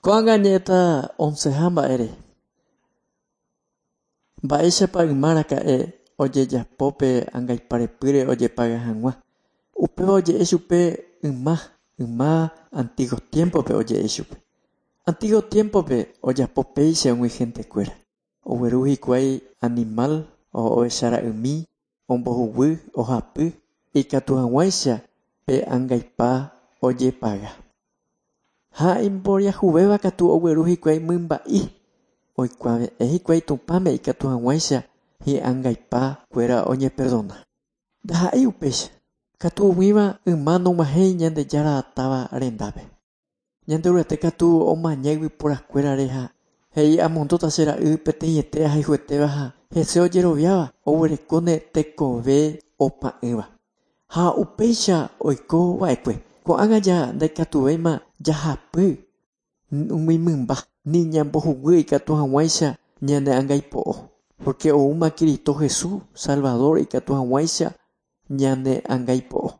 Ko'ág̃a añe'ẽta onceha mba'ére. Mba'éichapa yma raka'e ojejapo pe angaipa repýre ojepaga hag̃ua. Upéva oje'e chupe yma, yma antiguo tiempo-pe oje'e chupe. Antiguo tiempo-pe ojapo péicha umi gentekuéra. Ogueru hikuái animal ovechara'ymi, ombohuguy, ohapy, ikatu hag̃uáicha pe angaipa ojepaga. Ha imboriahuvéva katu ogueru hikuái mymba'i, oikuave'ẽ hikuái Tupãme ikatu hag̃uáicha hi'angaipa kuéra oñeperdona. Ndaha'éi upéicha, katu umíva yma nog̃uahẽi Ñandejára táva rendápe. Ñanderuete katu omaña yvyporakuérare ha he'i amondóta che ra'y peteĩete ahayhuetéva ha hese ojeroviáva oguerekóne tekove opa'ỹva. Ha upéicha oiko va'ekue. Ko'ág̃a ja ndaikatuvéima jahapy umi mymba ni ñambohuguy ikatu hag̃uáicha ñane angaipo'o. Porque oúma Cristo Jesús, Salvador ikatu hag̃uáicha ñane angaipo'o.